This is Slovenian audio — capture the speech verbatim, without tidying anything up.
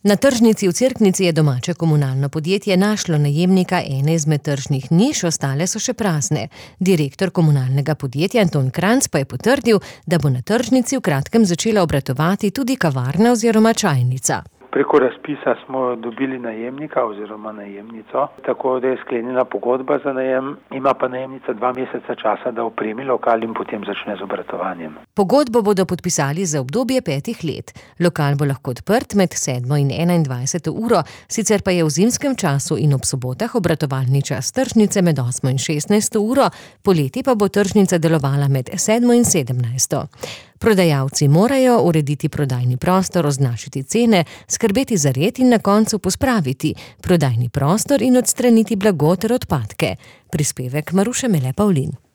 Na tržnici v Cerknici je domače komunalno podjetje našlo najemnika ene izmed tržnih niš, ostale so še prazne. Direktor komunalnega podjetja Anton Kranjc pa je potrdil, da bo na tržnici v kratkem začela obratovati tudi kavarna oziroma čajnica. Preko razpisa smo dobili najemnika oziroma najemnico, tako da je sklenjena pogodba za najem, ima pa najemnica dva meseca časa, da opremi lokal in potem začne z obratovanjem. Pogodbo bodo podpisali za obdobje petih let. Lokal bo lahko odprt med sedmo in enaindvajseto uro, sicer pa je v zimskem času in ob sobotah obratovalni čas tržnice med osmo in šestnajsto uro, poleti pa bo tržnica delovala med sedmo in sedemnajsto. Prodajalci morajo urediti prodajni prostor, označiti cene, skrbeti za red in na koncu pospraviti prodajni prostor in odstraniti blago ter odpadke. Prispevek Maruše Mele Pavlin.